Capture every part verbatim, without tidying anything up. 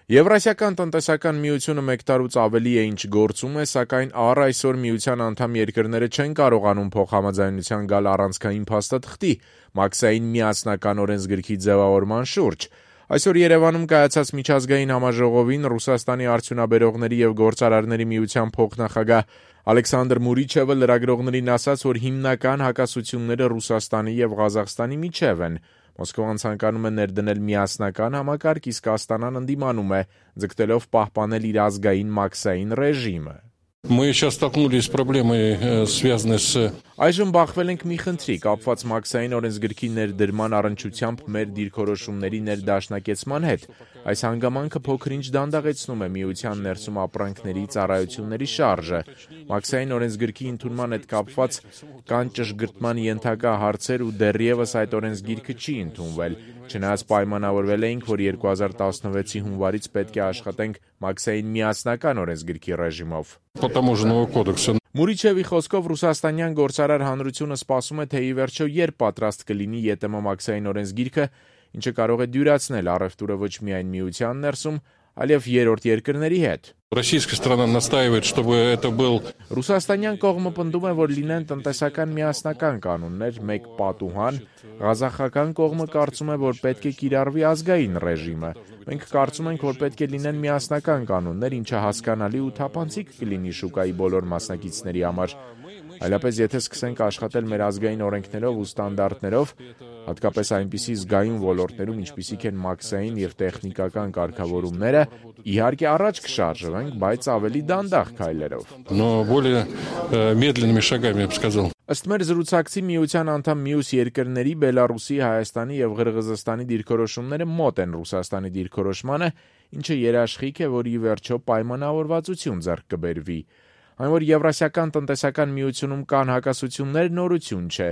Եվրասիական տնտեսական միությունը մեկ տարուց ավելի է ինչ գործում է, սակայն առ այսօր միության անդամ երկրները չեն կարողանում փոխհամաձայնության գալ առանցքային փաստաթղթի՝ Մաքսային միասնական օրենսգրքի ձևավորման շուրջ։ Այսօր Երևանում կայացած միջազգային համաժողովին Ռուսաստանի արդյունաբերողների եւ գործարարների միության փոխնախագահ Ալեքսանդր Մուրիչևը լրագրողներին ասաց, որ հիմնական հակասությունները Ռուսաստանի եւ Ղազախստանի միջեւ են։ Մոսկվան ցանկանում է ներդնել միասնական համակարգ, իսկ Աստանան ընդդիմանում է, ձգտելով պահպանել իր ազգային մաքսային ռեժիմը։ Мы сейчас столкнулись с проблемой, связанной с... Այժմ բախվել ենք մի խնդրի, կապված մաքսային օրենսգրքի ներդրման առնչությամբ մեր դիրքորոշումների ներդաշնակեցման հետ։ Այս հանգամանքը փոքր-ինչ դանդաղեցնում է միության ներսում ապրանքների ծառայությունների շարժը։ Մաքսային օրենսգրքի ընդունման հետ կապված կան ճշգրտման ենթակա հարցեր ու դեռևս այդ օրենսգիրքը չի ընդունվել։ Չնայած պայմանավորվել էինք, որ երկու հազար տասնվեցի հունվարից պետք է աշխատենք մաքսային միասնական օրենսգրքի ռեժիմով։ Մուրիչևի խոսքով ռուսաստանյան գործարար հանրությունը սպասում է, թե ի վերջո երբ պատրաստ կլինի ԵՏՄ մաքսային օրենսգիրքը, ինչը կարող է դյուրացնել առևտուրը ոչ միայն միության ներսում, այլև երրորդ երկրների հետ։ Российская сторона настаивает, чтобы это был... Ռուսաստանյան կողմը պնդում է, որ լինեն տնտեսական միասնական կանոններ, մեկ պատուհան, ղազախական կողմը կարծում է, որ պետք է կիրառվի ազգային ռեժիմը։ Մենք կարծում ենք, որ պետք է լինեն միասնական կանոններ, ինչը հասկանալի ու թափանցիկ կլինի շուկայի բոլոր մասնակիցների համար։ Այլապես եթե սկսենք աշխատել մեր ազգային օրենքներով ու ստանդարտներով, հատկապես այնպիսի զգայուն ոլորտներում, ինչպիսիք են մաքսային եւ տեխնիկական կարգավորումները, իհարկե առաջ կշարժվենք, բայց ավելի դանդաղ քայլերով։ Но более медленными шагами, я бы сказал. Ըստ մեր զրուցակցի միության անդամ մյուս երկրների Բելարուսի, Հայաստանի եւ Ղրղզստանի դիրքորոշումները մոտ են Ռուսաստանի դիրքորոշմանը, ինչը երաշխիք է, որ ի վերջո պայմանավորվածություն ձեռք կբերվի։ Այն, որ Եվրասիական տնտեսական միությունում կան հակասություններ, նորություն չէ։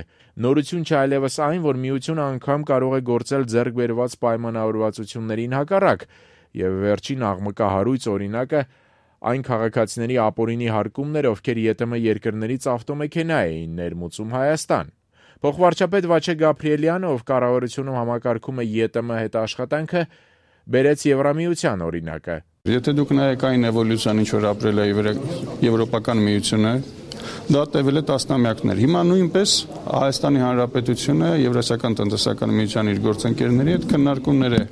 Նորություն չէ այլևս այն, որ միությունը անգամ կարող է գործել ձեռք բերված պայմանավորվածություններին հակառակ, եւ վերջին աղմկահարույց օրինակը այն քաղաքացիների ապօրինի հարկումներ, ովքեր ԵՏՄ երկրներից ավտոմեքենա էին ներմուծում Հայաստան։ Փոխվարչապետ Վաչե Գաբրիելյանը, ով կառավարությունում համակարգում է ԵՏՄ հետ աշխատանքը, բերեց Եվրամիության օրինակը։ Եթե դուք նայեք այն էվոլյուցիան, ինչ որ ապրել է Եվրոպական միությունը, դա տևել է տասնամյակներ։ Հիմա նույնպես Հայաստանի Հանրապետությունը Եվրասիական տնտեսական միության իր գործընկերների հետ քննարկումներ է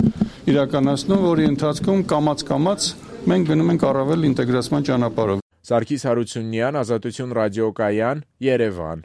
իրականացնում, որի ընթացքում կամաց-կամաց մենք գնում ենք առավել ինտեգրացման ճանապարհով։ Սարգիս Հարությունյան, Ազատություն ռադիոկայան, Երևան։